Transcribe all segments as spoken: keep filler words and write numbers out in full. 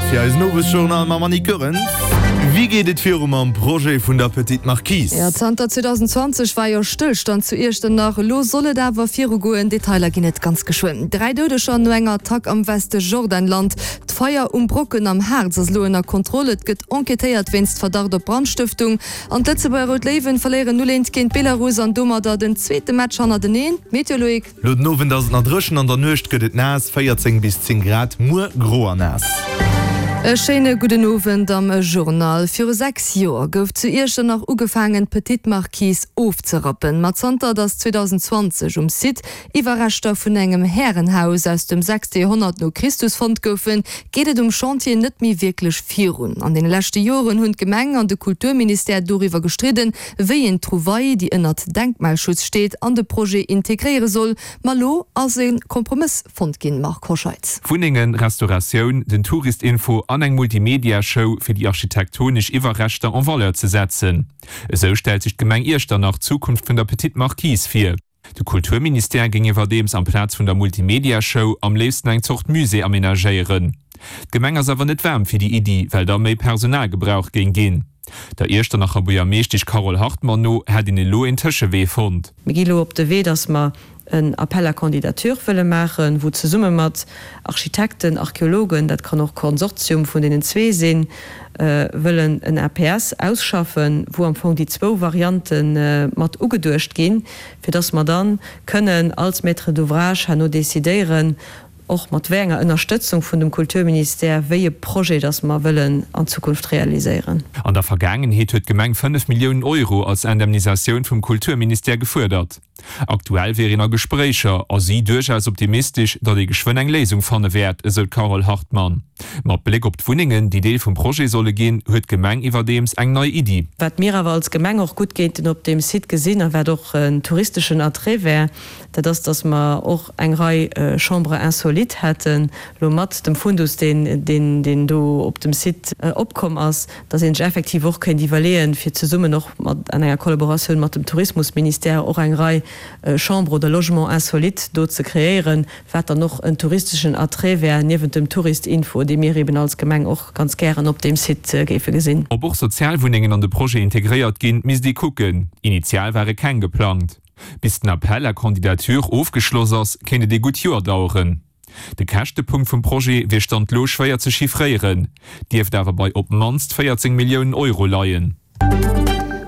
fir eisen Owesjournal mam Annie Goerens. Wéi geet et viru mam Projet vun der Petite Marquise? Jo, zanter zweedausenzwanzeg war jo Stëllstand zu Iechternach. Elo soll et awer virugoen. Detailer ginn et ganz geschwënn. Dräi Doudeger no enger Attack am Westjordanland. D'Feier um Brocken am Haarz ass elo ënner Kontroll. Et gëtt enquêtéiert wéinst Verdacht op Brandstëftung. An d'Lëtzebuerger Rout Léiwen verléieren null eent géint Belarus an domadder den zweete Match hannerteneen. D'Meteo, Loïc. Lo den Owend ass et nach dréchen, an der Nuecht gëtt et naass, véierzéng bis zéng Grad, muer gro an naass. E schéine gudden Owend am Journal. Viru sechs Joer gouf zu Iechternach ugefaangen, d'Petite Marquise ofzerappen. Ma zanter datt zweedausendzwanzeg um Site Iwwerreschter vun engem Härenhaus aus dem sechste Joerhonnert no Christus fonnt goufen, geet et um Chantier net méi wierklech virun. An deene leschte Joren hunn d'Gemeng an de Kulturministère doriwwer gestridden, wéi een d'Trouvaille, déi ënnert Denkmalschutz steet, an de Projet integréiere soll. Ma elo ass e Kompromëss fonnt ginn, Marc Hoscheid. Wunnengen, Restauratioun, den Tourist-Info an eng Multimedia-Show fir déi architektonesch Iwwerreschter en Valeur ze setzen. Esou stellt sech d'Gemeng Iechternach d'Zukunft vun der Petite Marquise vir. De Kulturministère géing iwwerdeems amplaz vun der Multimedia-Show am léifsten eng Zort Musée amenagéieren. D'Gemeng ass awer net waarm fir déi Iddi, well da méi Personal gebraucht géing ginn. Der Iechternacher Buergermeeschtesch Carole Hartmann no hätt een elo een Tëschewee fonnt. Mir gi elo op de Wee, datt mer en Appel à candidatures wëlle maachen, wou zesumme mat Architekten, Archeologen, dat kann och Konsortium vun deenen zwee sinn, wëllen en A P S ausschaffen, wou am Fong déi zwou Variante mat ugeduecht ginn, fir datt mer da kënnen als Maître d'ouvrage herno decidéieren, och mat wéi enger Ënnerstëtzung vun dem Kulturministère, wéi e Projet datt mer wëllen an Zukunft realiséieren. An der Vergaangenheet huet d'Gemeng fënnef Milliounen Euro als Indemnisatioun vum Kulturministère gefuerdert. Aktuell wier een a Gespréicher a si duerchaus optimistesch, datt ee geschwënn eng Léisung fanne wäert, esou d'Carole Hartmann. Mat Bléck op d'Wunnengen, déi Deel vum Projet solle ginn, huet d'Gemeng iwwerdeems eng nei Iddi. Wat mir awer als Gemeng och gutt géinten op deem Site gesinn a wat och en touristeschen Attrait wär, dat ass, datt mer och eng Rei Chambres insolites hätten, elo mat dem Fundus, deen, deen, deen do op dem Site opkomm ass, datt ee sech effektiv och kéint iwwerleeën, fir zesummen och mat an enger Kollaboratioun mat dem Tourismusministère och eng Rei Chambres oder Logements insolites do ze kreéieren, wat dann och en touristeschen Attrait wär niewent dem Touristinfo, dee mir eben als Gemeng och ganz gären op deem Site géife gesinn. Ob och Sozialwunnengen an de Projet integréiert ginn, misst ee kucken. Initial ware keng geplangt. Bis den Appel à candidatures ofgeschloss ass, kéint et ee gutt Joer daueren. De Käschtepunkt vum Projet wier Stand elo schwéier ze chiffréieren, dierft awer bei op d'mannst véierzéng Milliounen Euro leien.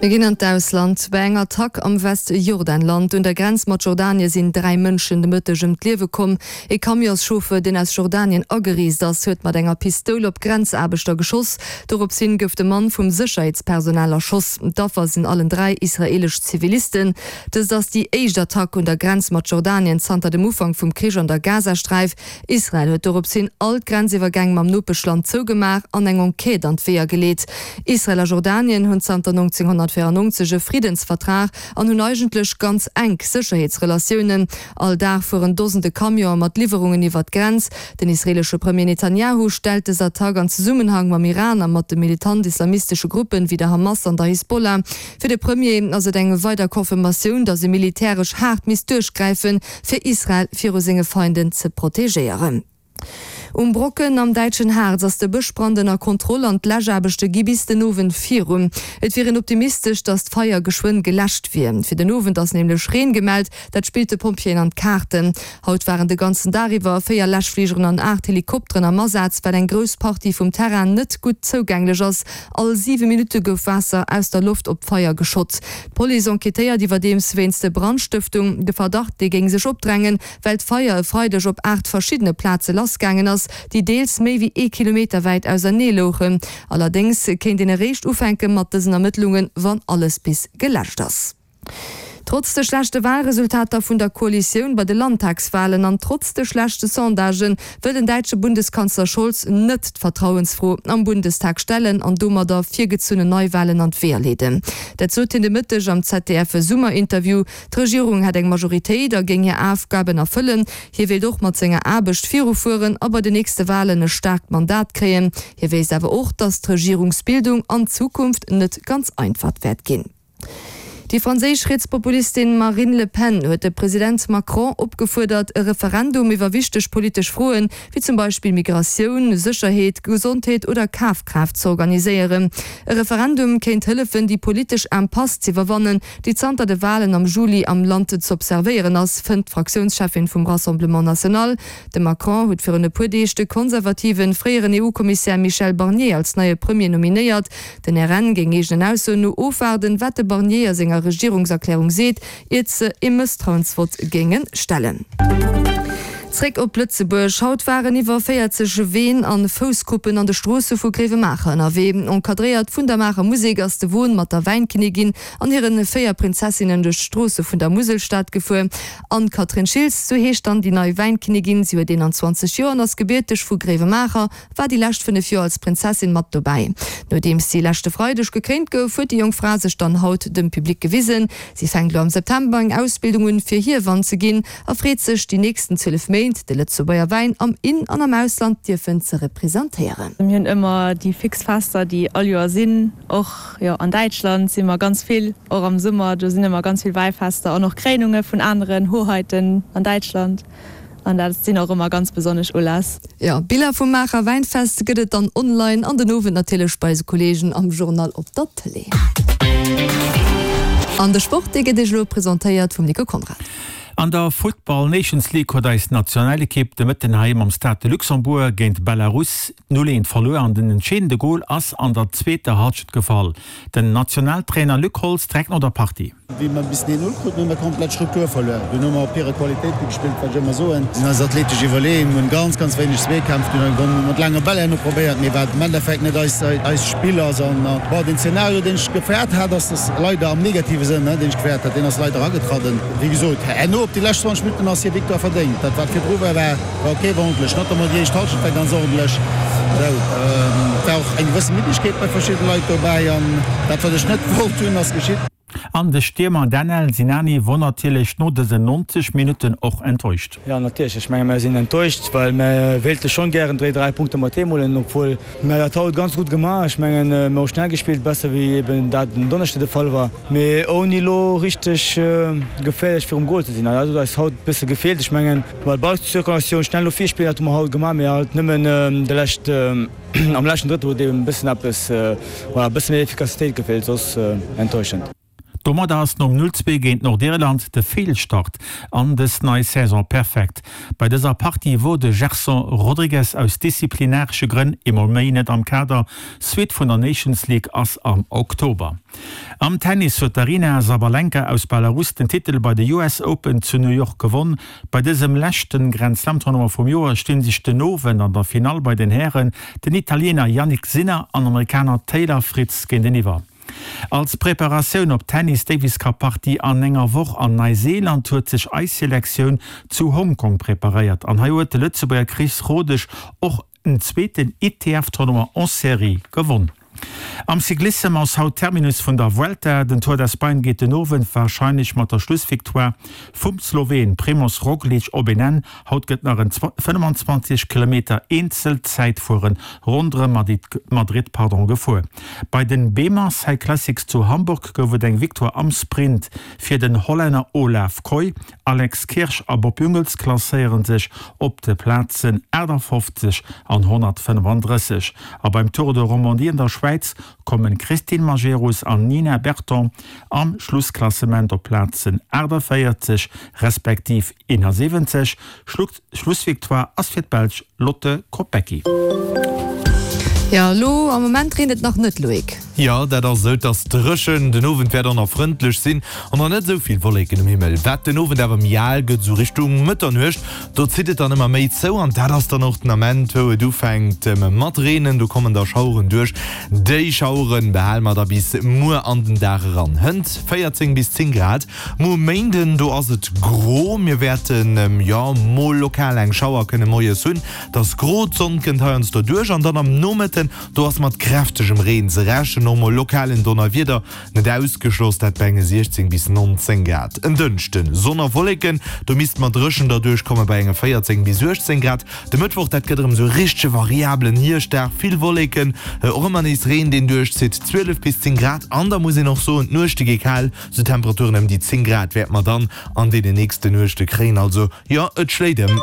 Mir ginn an d'Ausland. Bei enger Attack am Westjordanland un der Grenz mat Jordanie sinn dräi Mënschen de Mëtteg ëm d'Liewe komm. E Camionschauffer, deen aus Jordanien agereest ass, huet mat enger Pistoul op Grenzaarbechter geschoss. Dorops hin gouf de Mann vum Sécherheetspersonal erschoss. D'Affer sinn allen dräi israeelesch Zivilisten. Dëst ass déi éischt Attack un der Grenz mat Jordanien zanter dem Ufank vum Krich an der Gazasträif. Israel huet dorops hin all d'Grenziwwergäng mam Nopeschland zougemaach an eng Enquête an d'Weeër geleet. Israel a Jordanien hunn zanter nonzénghonnertvéierennonzeg e Friddensvertrag an hunn eigentlech ganz enk Sécherheetsrelatiounen. All Dag fueren Dosende Camionen mat Liwwerungen iwwer d'Grenz. Den israeelesche Premier Netanjahu stellt dës Attack an Zesummenhang mam Iran a mat de militant-islamistesche Gruppen wéi der Hamas an der Hisbollah. Fir de Premier ass et eng weider Confirmatioun, datt ee militäresch haart misst duerchgräifen, fir Israel viru senge Feinden ze protegéieren. Um Brocken am däitschen Harz ass de Bëschbrand ënner Kontroll an d'Läschaarbechte gi bis den Owend virun. Et wier een optimistesch, datt d'Feier geschwënn geläscht wier. Fir den Owend ass nämlech Reen gemellt, dat spillt de Pompjeeën an d'Kaarten. Haut waren de ganzen Dag iwwer véier Läschfligeren an aacht Helikopteren am Asaz, well eng grouss Partie vum Terrain net gutt zougänglech ass. All siwe Minutte gouf Waasser aus der Loft op d'Feier geschott. D'Police enquêtéiert iwwerdeems wéinst Brandstëftung. De Verdacht, dee géing sech opdrängen, well d'Feier e Freideg op aacht verschiddene Plaze lassgaangen ass, déi deels méi wéi ee Kilometer wäit ausernee louchen. Allerdéngs kéint een eréischt ufänke mat dësen Ermëttlungen, wann alles bis geläscht ass. Trotz de schlechte Walresultater vun der Koalitioun bei de Landtagswalen an trotz de schlechte Sondagen wëll den däitsche Bundeskanzler Scholz net d'Vertrauensfro am Bundestag stellen an domadder virgezunnen Neiwalen an d'Weeër leeden. Dat sot hien de Mëtteg am Z D F-Summerinterview. D'Regierung hätt eng Majoritéit a géing hir Aufgaben erfëllen. Hie wéilt och mat senger Aarbecht virufueren a bei den nächste Walen e staarkt Mandat kréien. Hie wéisst awer och, datt d'Regierungsbildung an Zukunft net ganz einfach wäert ginn. Déi franséisch Rietspopulistin Marine Le Pen huet de President Macron opgefuerdert, e Referendum iwwer wichteg politesch Froen, wéi zum Beispill Migratioun, Sécherheet, Gesondheet oder Kafkraaft z'organiséieren. E Referendum kéint hëllefen, déi politesch Impasse z'iwwerwannen, déi zanter de Walen am Juli am Land z'observéieren ass, fënnt d'Fraktiounscheffin vum Rassemblement National. De Macron huet virun e puer Deeg de konservativen fréieren EU-Kommissär Michel Barnier als neie Premier nominéiert. Den R N géing eegenen Aussoen no ofwaarden, wat de Barnier a senger Regierungserklärung seet, iert se ee Mësstrauensvott géinge stellen. Zréck op Lëtzebuerg. Haut waren iwwer véierzeg Ween an Foussgruppen an de Stroosse vu Gréiwemaacher ënnerwee. Encadréiert vun der Maacher Musek ass de Won mat der Wäinkinnigin an hiren véier Prinzessinnen duerch d'Stroosse vun der Muselstad gefuer. Anne-Catherine Schiltz, sou heescht dann déi nei Wäinkinnigin, si huet eenanzwanzeg Joer an ass gebierteg vu Gréiwemaacher, war déi lescht fënnef Joer als Prinzessin mat dobäi. Nodeems si leschte Freideg gekréint gouf, huet déi jonk Fra sech dann haut dem Public gewisen. Si fänkt elo am September eng Ausbildung un, fir Hiewann ze ginn a freet sech, déi nächsten zwielef Méint de Lëtzebuerger Wäin am In an am Ausland dierfen ze representéieren. Mir hunn ëmmer déi fix Fester, déi all Joer sinn. Och jo an Däitschland si mer ganz vill, och am Summer, do sinn ëmmer ganz vill Wäifester an och Kréinunge vun aneren Hoheiten an Däitschland. An dat sinn och ëmmer ganz besonnesch Uläss. Jo, Biller vum Maacher Wäinfest gëtt et dann online an den Owend natierlech bei eise Kolleegen am Journal op der Tëlee. An de Sport, dee gëtt Iech elo presentéiert vum Nico Conrad. An der Futtball Nations League huet eis Nationalekipp de Mëtten heiheem am Stade de Luxembourg géint Belarus null eent verluer an den entscheedende Gol ass an der zweeter Halschent gefall. Den Nationaltrainer Luc Holtz direkt no der Partie. Wéi mer bis den een null kruten, hu mer komplett Struktur verluer. Dunn hu mer op hire Qualitéite gespillt, wat ech ëmmer soen. Si sinn eis athletesch iwwerleeën, hunn ganz, ganz wéineg Zweekämpf, dunn hu mer mat laange Bäll herno probéiert, mee wat am Endeffekt net eis, eist Spill ass. An bon, den Zeenario, deen ech gefäert hat, ass dass leider am negative Sënn, deen ech gefäert hat, deen ass leider agetradden. Wéi gesot, herno op déi lescht zwanzeg Minutten ass hir Victoire verdéngt. Dat wat virdru war, war war ok, war ordentlech. Notamment déi éischt Hallschent war ganz ordentlech. Sou, et war och eng gewësse Middegkeet bei verschidde Leit dobäi an dat wat ech net wollt hunn, ass geschitt. An de Stiermer Danel Sinani wor natierlech no dësen neunzeg Minutten och enttäuscht. Jo, natierlech. Ech menge mer sinn enttäuscht, well mer wéilte schonn gären dréi dräi Punkte mat heem huelen, obwuel mer dat haut ganz gutt gemaach. Ech mengen, mer hu schnell gespillt, besser wéi eben dat en Donneschde de Fall war, mee ouni elo richteg geféierlech virum Gol ze sinn. An dat huet eis haut e bësse gefeelt. Ech mengen, well Ballzirkulatioun, schnell no vir spillen, dat hu mer haut gemaach, mee halt nëmmen de lescht, am leschten Drëttel huet eben e bëssen eppes, voilà, e bësse méi Efficacitéit gefeelt, soss enttäuschend. Domadder ass nom null zwee géint Nordirland de Feelstart an dës nei Saison perfekt. Bei dëser Partie wor de Gerson Rodrigues aus disziplinaresche Grënn eemol méi net am Kader. Suite vun der Nations League ass am Oktober. Am Tennis huet d'Aryna Sabalenka aus Belarus den Titel bei de U S Open zu New York gewonn. Bei dësem leschte Grand Slam Tournoi vum Joer stinn sech den Owend an der Finall bei den Hären den Italiener Jannik Sinner an Amerikaner Taylor Fritz géinteniwwer. Als Preparatioun op d'Tennis Davis Cup Partie an enger Woch an Neuseeland huet sech eis Selektioun zu Hongkong preparéiert an hei huet de Lëtzebuerger Chris Rodesch och en zweeten I T F Tournoi en série gewonn. Am Cyclissem ass haut Terminus vun der Vuelta. Den Tour d'Espagne geet den Owend warscheinlech mat der Schlussvictoire vum Sloween Primoz Roglic op een Enn. Haut gëtt nach en fënnefenzwanzeg Kilometer Eenzelzäitfueren ronderëm Madrid gefuer. Bei den BEMA Cyclassics zu Hamburg gouf et eng Victoire am Sprint fir den Hollänner Olav Kooij. Alex Kirsch a Bob Jungels klasséiere sech op de Plazen aachtafofzeg an honnertfënnefandrësseg. A beim Tour de Romandie an der Schwäiz kommen Christine Majerus an Nina Berton am Schlussklassement op Plazen aachtavéierzeg respektiv eenasiwwenzeg. Schlussvictoire ass fir d'Belsch Lotte Kopecky. Jo, elo am Moment reent et nach net, Loïc. Jo, dat ass esou, et ass dréchen, den Owend wäert och nach frëndlech sinn an och net esou vill Wolleken um Himmel. Wat den Owend awer méi al gëtt, esou Richtung Mëtternuecht, do zitt et dann ëmmer méi zou an dat ass dann och den Ament, wou et ufänkt mat reenen. Do kommen da Schaueren duerch. Déi Schauere behale mer da bis muer an den Dag eran. Hënt véierzéng bis zéng Grad. Muer um Méinden, do ass et gro, mir wäerten, jo, mol lokal eng Schauer kënne moies hunn. Et ass gro, d'Sonn kënnt heiansdo duerch an dann am Nomëtteg Nomëtten, do ass mat kräftegem Reen ze rechnen, och mol lokalen Donnerwieder net ausgeschloss, dat bei enge siechzéng bis nonzéng Grad. En Dënschden, Sonn a Wolleken, do misst mer dréchen derduerch komme bei enge véierzéng bis uechtzéng Grad. De Mëttwoch, dat gëtt erëm esou e richtege variabelen Hierschtdag, vill Wolleken, och ëmmer nees Reen deen duerchzitt, zwielef bis zéng Grad. An da muss een och soen, d'Nuechte gi kal, esou Temperaturen ëm déi zéng Grad wäerte mer dann an deene nächste Nuechte kréien. Also jo, et schléit ëm.